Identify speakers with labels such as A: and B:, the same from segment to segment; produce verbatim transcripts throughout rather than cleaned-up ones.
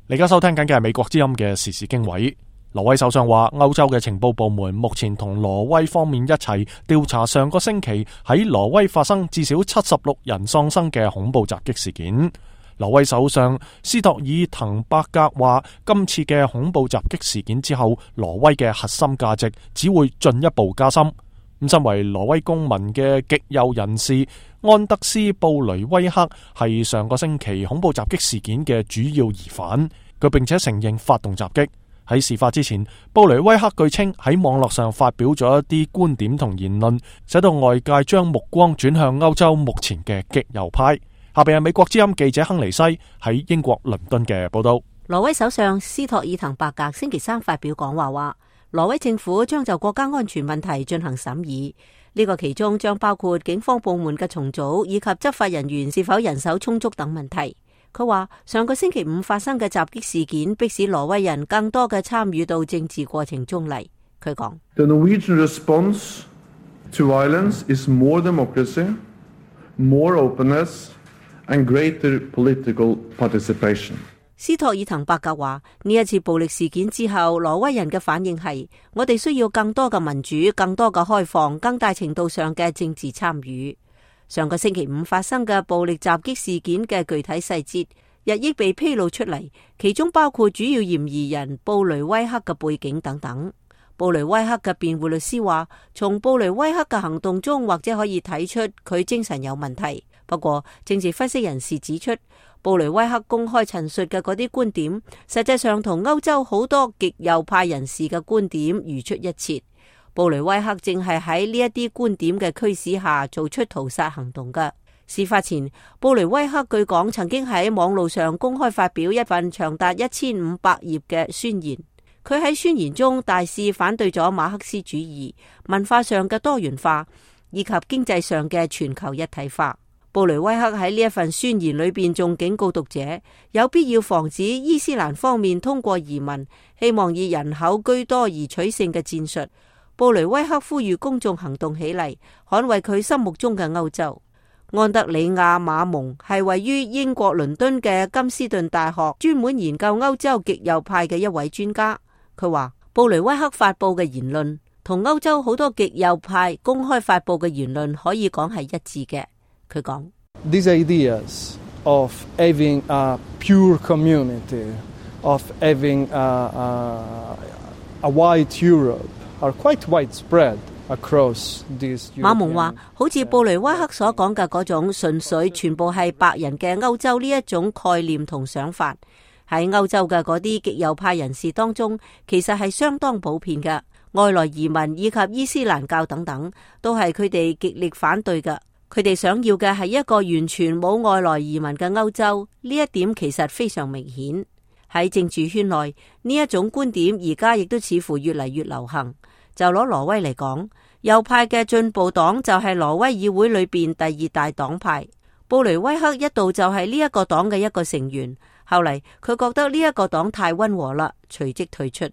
A: 你而家收聽緊嘅係美國之音嘅時事經緯。挪威首相話，歐洲嘅情報部門目前同挪威方面一齊調查上個星期喺挪威發生至少七十六人喪生嘅恐怖襲擊事件。挪威首相斯托爾滕伯格話，今次嘅恐怖襲擊事件之後，挪威嘅核心價值只會進一步加深。咁身為挪威公民嘅極右人士安德斯布雷威克係上個星期恐怖襲擊事件嘅主要疑犯，佢並且承認發動襲擊。喺事發之前，布雷威克據稱喺網絡上發表咗一啲觀點同言論，使到外界將目光轉向歐洲目前嘅極右派。下邊係美國之音記者亨利西喺英國倫敦嘅報道。
B: 挪威首相斯托爾滕伯格星期三發表講話話，挪威政府將就國家安全問題進行審議，呢個其中將包括警方部門嘅重組以及執法人員是否人手充足等問題。佢話上個星期五發生嘅襲擊事件迫使挪威人更多嘅參與到政治過程中嚟。佢講
C: The Norwegian response to violence is more democracy, more openness and greater political participation.
B: 斯托爾滕伯格話，呢一次暴力事件之後，挪威人嘅反應係，我哋需要更多嘅民主、更多嘅開放、更大程度上嘅政治參與。上個星期五發生嘅暴力襲擊事件嘅具體細節日益被披露出嚟，其中包括主要嫌疑人布雷威克嘅背景等等。布雷威克嘅辯護律師話，從布雷威克嘅行動中或者可以睇出佢精神有問題。不過政治分析人士指出，布雷威克公開陳述嘅嗰啲觀點實際上同歐洲好多極右派人士嘅觀點如出一轍。布雷威克正係喺呢一啲觀點嘅驅使下做出屠殺行動嘅。事發前，布雷威克據講曾經喺網路上公開發表一份長達一千五百頁嘅宣言。佢喺宣言中大肆反對咗馬克思主義、文化上嘅多元化以及經濟上嘅全球一體化。布雷威克喺呢一份宣言裏邊仲警告讀者，有必要防止伊斯蘭方面通過移民，希望以人口居多而取勝嘅戰術。布雷威克呼籲公眾行動起嚟，捍衛佢心目中嘅歐洲。安德里亞馬蒙係位於英國倫敦嘅金斯頓大學專門研究歐洲極右派嘅一位專家。佢話布雷威克發佈嘅言論同歐洲好多極右派公開發佈嘅言論可以講係一致嘅。佢講
D: These ideas of having a pure community, of having a, a, a white Europe are quite widespread across these. 馬蒙話，好似布雷威克所講嘅嗰種純粹全部係白人嘅歐洲呢一種概念同想法，喺歐洲嘅嗰啲極右派人士當中，其實係相當普遍嘅。外來移民以及伊斯蘭教等等，都係佢哋極力反對嘅。佢哋想要嘅係一個完全冇外來移民嘅歐洲，呢一點其實非常明顯。喺政治圈內，呢一種觀點而家亦都似乎越嚟越流行。就攞挪威嚟講，右派嘅進步黨就係挪威議會裏邊第二大黨派。布雷威克一度就係呢一個黨嘅一個成員，後嚟佢覺得呢一個黨太溫和啦，隨即退出。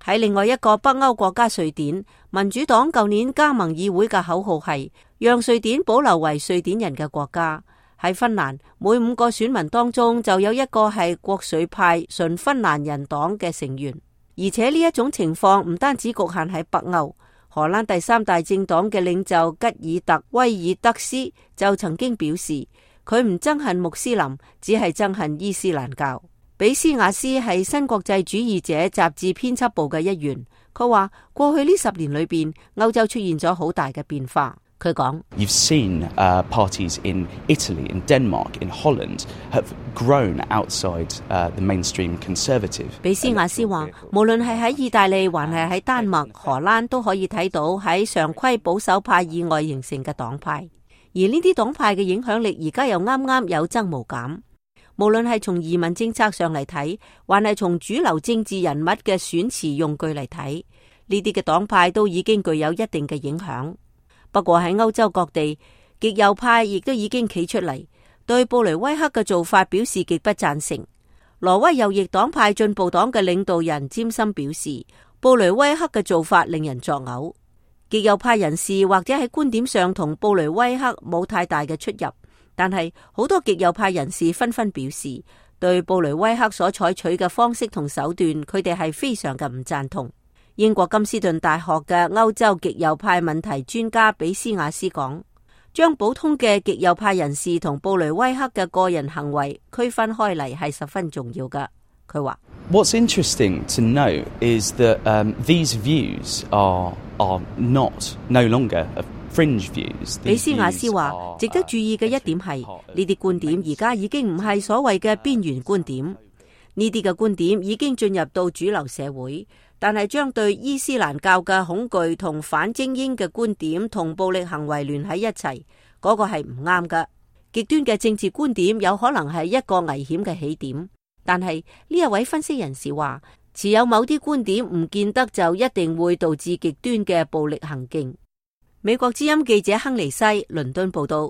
D: 喺另外一個北歐國家瑞典，民主黨舊年加盟議會嘅口號係讓瑞典保留為瑞典人嘅國家。喺芬蘭，每五個選民當中就有一個係國粹派純芬蘭人黨嘅成員。而且呢一種情況唔單止局限喺北歐，荷蘭第三大政黨嘅領袖吉爾特威爾德斯就曾經表示，佢唔憎恨穆斯林，只係憎恨伊斯蘭教。比斯亞斯係新國際主義者雜誌編輯部嘅一員，佢話過去呢十年裏邊，歐洲出現咗好大嘅變化。佢講
E: You've seen uh, parties in Italy, in Denmark, in Holland have grown outside uh, the mainstream conservative.
B: 比斯亞斯話，無論係喺意大利還係喺丹麥、荷蘭，都可以睇到喺常規保守派以外形成嘅黨派，而呢啲黨派嘅影響力而家又啱啱有增無減。無論係從移民政策上嚟睇，還係從主流政治人物嘅選詞用句嚟睇，呢啲嘅黨派都已經具有一定嘅影響。不過喺歐洲各地，極右派亦都已經企出嚟，對布雷威克嘅做法表示極不贊成。挪威右翼黨派進步黨嘅領導人詹森表示，布雷威克嘅做法令人作嘔。極右派人士或者喺觀點上同布雷威克冇太大嘅出入，但係好多極右派人士紛紛表示，對布雷威克所採取嘅方式同手段，佢哋係非常嘅唔贊同。英國金斯頓大學嘅歐洲極右派問題專家比斯瓦斯講，將普通嘅極右派人士同布雷威克嘅個人行為區分開嚟係十分重要㗎。佢話
E: What's interesting to note is that um, these views are are not no longer fringe views.
B: 比斯瓦斯話，值得注意嘅一點係呢啲觀點而家已經唔係所謂嘅邊緣觀點，呢啲嘅觀點已經進入到主流社會，但係將對伊斯蘭教嘅恐懼同反精英嘅觀點同暴力行為聯喺一齊，嗰個係唔啱㗎。極端嘅政治觀點有可能係一個危險嘅起點，但係呢一位分析人士話，持有某啲觀點唔見得就一定會導致極端嘅暴力行徑。美國之音記者亨尼西倫敦報道。